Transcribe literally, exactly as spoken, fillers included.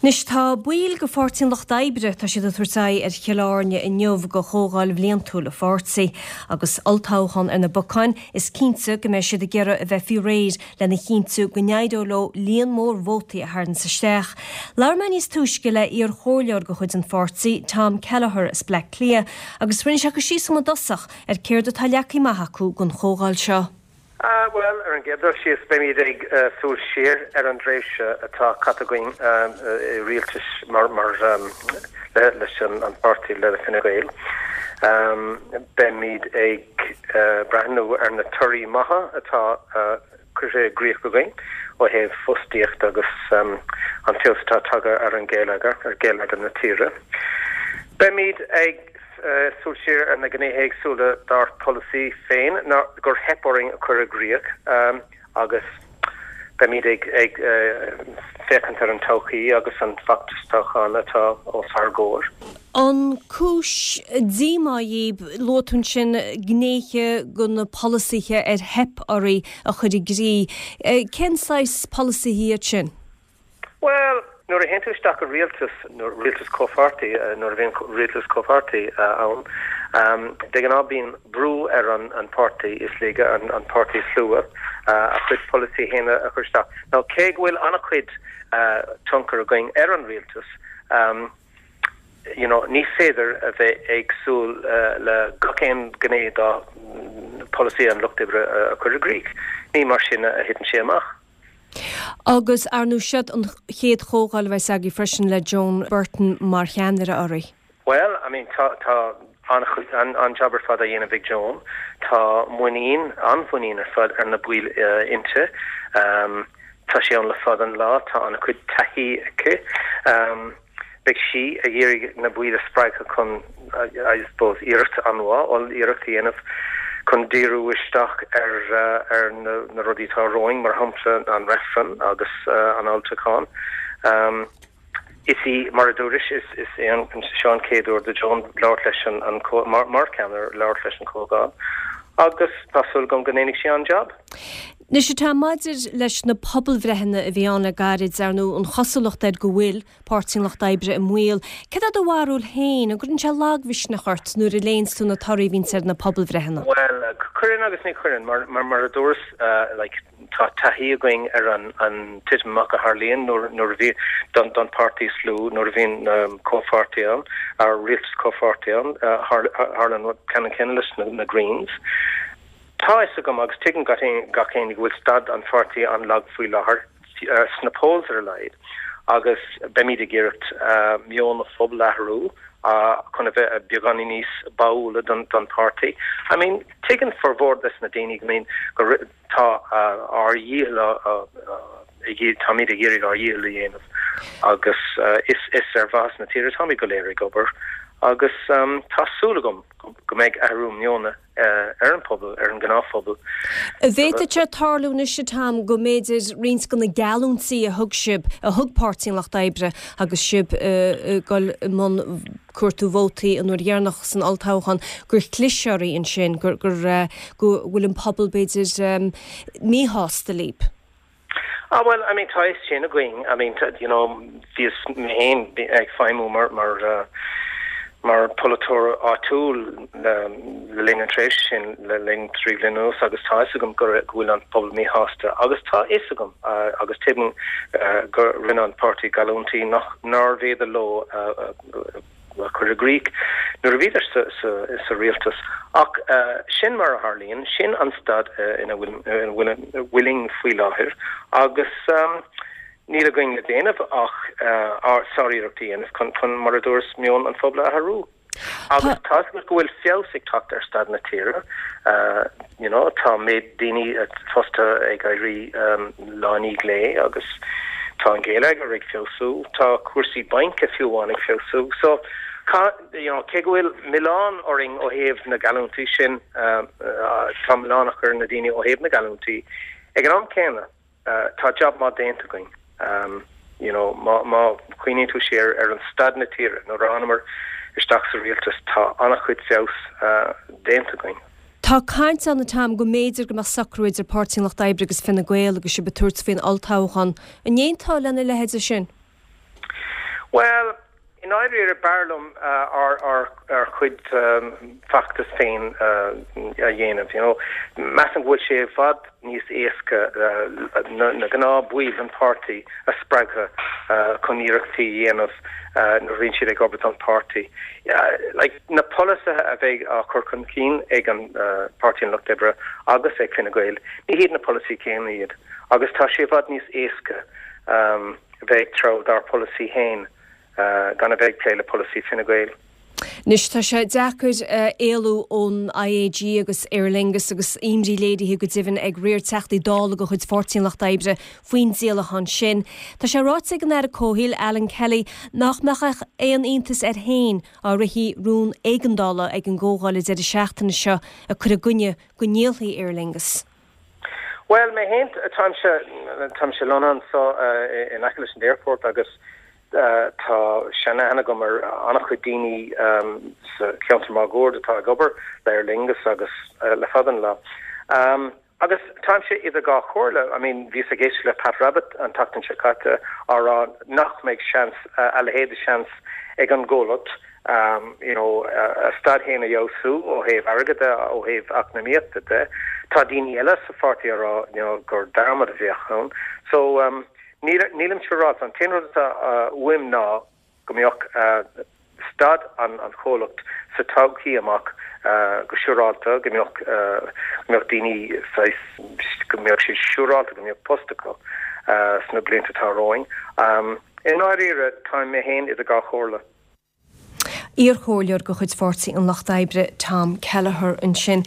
Anois tá baill de Pháirtí an Lucht Oibre, tá siad ag tabhairt aghaidh ar Chill Airne inniu do chomhdháil bhliantúil an pháirtí. Agus olltoghchán ar na bacáin, is cinnte go mbeidh siad ag iarraidh a bheith faoi réir lena chinntiú go n-éireoidh leo líon mór vótaí a tharraingt isteach. Labhair mé níos túisce le iarchomhairleoir de chuid an pháirtí, Tom Kelleher as Bleá Cliath, agus rinne sé cur síos i dtosach ar céard atá leagtha amach acu don chomhdháil seo. Uh, well, ar an gcéad dul síos beimid ag uh, súil siar ar an dtréimhse atá caite againn uh, i rialtas mar, mar um, le, leis an, an páirtí le Fine Gael. Um, beimid ag uh, breathnú ar na torthaí maithe atá uh, curtha i gcrích againn ó thaobh fostaíocht agus um, an feabhas atá tagtha ar an geilleagar ar geilleagar na tíre. Beimid ag uh, súil siar ar na gnéithe éagsúla dár polasaí féin ná gur theip orainn a chur i gcrích um, agus beimid ag ag uh, féachaint ar an todhchaí agus an feachtas toghcháin atá os ár gcomhair. An cúis díomá daoibh luaigh tú ansin gnéithe de na polasaithe ar theip oraibh a chur i gcrích. Cén saghas polasaithe iad sin? Well, nuair a théann tú isteach i rialtas nuair rialtas comhpháirtí nuair a bhíonn rialtas comhpháirtí ann um, de ghnáth bíonn brú ar an an páirtí is laige an, an páirtí is lú uh, a chuid polasaí féin a chur isteach. Now cé go bhfuil an-chuid uh, tionchar againn ar an rialtas, um, you know, ní féidir a bheith ag súil uh, le gach aon ghné de polasaí an Lucht Oibre uh, a chur i gcrích. Ní mar sin a thiteann sé amach. Agus ar ndóigh seo an chéad chomhdháil a bheas agaibh freisin le Joan Burton mar cheannaire oraibh. Well, I mean tá tá an an an job ar fad á dhéanamh ag Joan, Tá muinín an-mhuinín ar fad ar na baill uh, inti. Um, tá sí ann le fada an lá tá an-chuid taithí aici. Um, Beidh sí ag iarraidh na baill a spreagadh chun I suppose iarracht an-mhaith oll-iarracht a dhéanamh chun díriú isteach ar uh, ar na, na rudaí atá romhainn mar shampla an reifreann agus uh, an olltoghchán. Um, is í mar a dúras is is é an seo an chéad uair do Joan labhairt leis an, an mar, mar ceannaire labhairt leis an chomhdháil. Agus tá súil agam go ndéanfaidh sí an-job. Anois atá maidir leis na pobalbhreitheanna a bhí ann le gairid ar ndóigh an chosúlacht air go bhfuil Páirtí an Lucht Oibre i mbaol. Cad é do bharúil féin an gcuireann sé lagmhisneach ort nuair a léann tú na torthaí a bhíonn ar na pobalbhreitheanna. Well, cuireann agus ní chuireann mar mar mar a dúras uh, like, tá taithí againn ar an an titim amach a tharlaíonn nuair nuair a bhí don don páirtí is lú nuair a bhíonn um, comhpháirtí ann ar rialtas comhpháirtí ann uh, tharla an ceann céanna leis na, na Greens. Tá a fhios agam agus tuigeann gach éinne go bhfuil staid an pháirtí an-lag faoi láthair uh, sna polls ar a laghad agus beimid ag iarraidh uh, meon an phobail a athrú uh, chun a bheith beagáinín níos báúla don don páirtí. I mean tuigeann formhór des na daoine I mean go tá uh, ár ndícheall uh, uh, táimid ag iarraidh ár ndícheall a dhéanamh agus uh, is is ar mhaithe na tíre táimid go léir ag obair agus um, tá súil agam go mbeidh athrú meoin uh, ar an pobal ar an ngnáthphobal. Bhféadfadh sé tarlú anois Tom go mb'fhéidir roinnt de na geallúintí a thug sibh a thug Páirtí an Lucht Oibre agus sibh uh, dul i mbun cuartú vótaí an uair dheireanach san olltoghchán gur chlis oraibh ansin gur gur uh, go bhfuil an pobal b'fhéidir um, míshásta libh. Ah well I mean tá sin againn I mean you know bhíos mé féin ag feidhmiú mar mar uh, mar polaiteoir áitiúil le le linn an tréimhse sin le linn trí bliana agus tá agam go bhfuil an pobal míshásta agus tá a fhios agam uh, agus tuigim uh, gur rinne an páirtí geallúintí nach nárbh fhéidir leo uh, uh, chur i gcrích nuair a bhíodar sa, sa, sa rialtas ach uh, sin mar a tharlaíonn sin an staid uh, ina bhfuilimid faoi láthair agus um, níl againn le déanamh ach uh, sáriarracht a dhéanamh chun chun mar a dúras meon an phobail a athrú. Agus tá go bhfuil feabhas ag teacht ar staid na tíre uh, you know, tá méid daoine fostaithe ag éirí um, lá i ndiaidh lae agus tá an geilleagar ag feabhsú, tá cúrsaí bainc fiú amháin ag feabhsú. So Ka, you know, cé go bhfuil milleán orainn ó thaobh na geallúintí sin uh, uh, tá milleán ar na daoine ó thaobh na geallúintí. Ag an am céanna uh, tá job maith déanta againn. Um, you know, má má chuimhníonn tú siar ar an staid na tíre nuair a thángamar isteach sa rialtas tá an-chuid feabhas uh, déanta againn. Tá caint ann Tom go mb'fhéidir go mbeadh socrú idir Páirtí an Lucht Oibre agus Fine Gael agus sibh ag tabhairt faoin olltoghchán. An aontófá lena leithéid sin? Bhuel, i ndáiríre b'fhearr liom ár ár chuid feachtas féin a dhéanamh, you know. Measaim go bhfuil sé i bhfad níos éasca na gnáth baill an pháirtí a spreagadh chun iarrachtaí a dhéanamh nuair a bhíonn siad ag obair don pháirtí. Like, na polasaithe a bheidh á chur chun cinn ag an Páirtí an Lucht Oibre agus ag Fine Gael, ní hiad na polasaí céanna iad. Agus tá sé i bhfad níos éasca a bheith ag treabhadh dár polasaí féin gan a bheith ag plé le polasaí Fine Gael. Anois tá sé deacair éalú ón IAG agus Aer Lingus agus imní léirithe go deimhin ag riar Teachtaí Dála de chuid Pháirtí an Lucht Oibre faoin díolachán sin. Tá sé ráite ag an Aire Comhshaoil Alan Kelly nach mbeadh aon iontas air féin dá rithfí rún éigeandála ag an gcomhdháil an deireadh seachtaine seo ag cur i gcoinne go ndíolfaí Aer Lingus. Bhuel, mé féin, táimse, táimse lonnaithe anseo in aice leis an airport agus tá seanaithne agam ar an-chuid daoine sa cheantar máguaird atá ag obair le Aer Lingus agus le fada an lá. Agus táimse idir dhá chomhairle, I mean, bhíos ag éisteacht le Pat Rabbitte an tseachtain seo caite á rá nach mbeidh seans, a leithéid de sheans ag an gcomhlacht you know, a staid féin a fheabhsú ó thaobh airgid de, ó thaobh eacnamaíochta de. Tá daoine eile sa pháirtí á rá you know, gur dearmad a bheadh ann. So um, nílim siúráilte, an t-aon rud atá uaim ná go mbeadh staid an an chomhlacht sa todhchaí amach go siúráilte, go mbeadh go mbeadh daoine saghas go mbeadh siad siúráilte go mbeadh post acu sna blianta atá romhainn. I ndáiríre, táim mé féin idir dhá chomhairle. Iarchomhairleoir de chuid Pháirtí an Lucht Oibre Tom Kelleher ansin.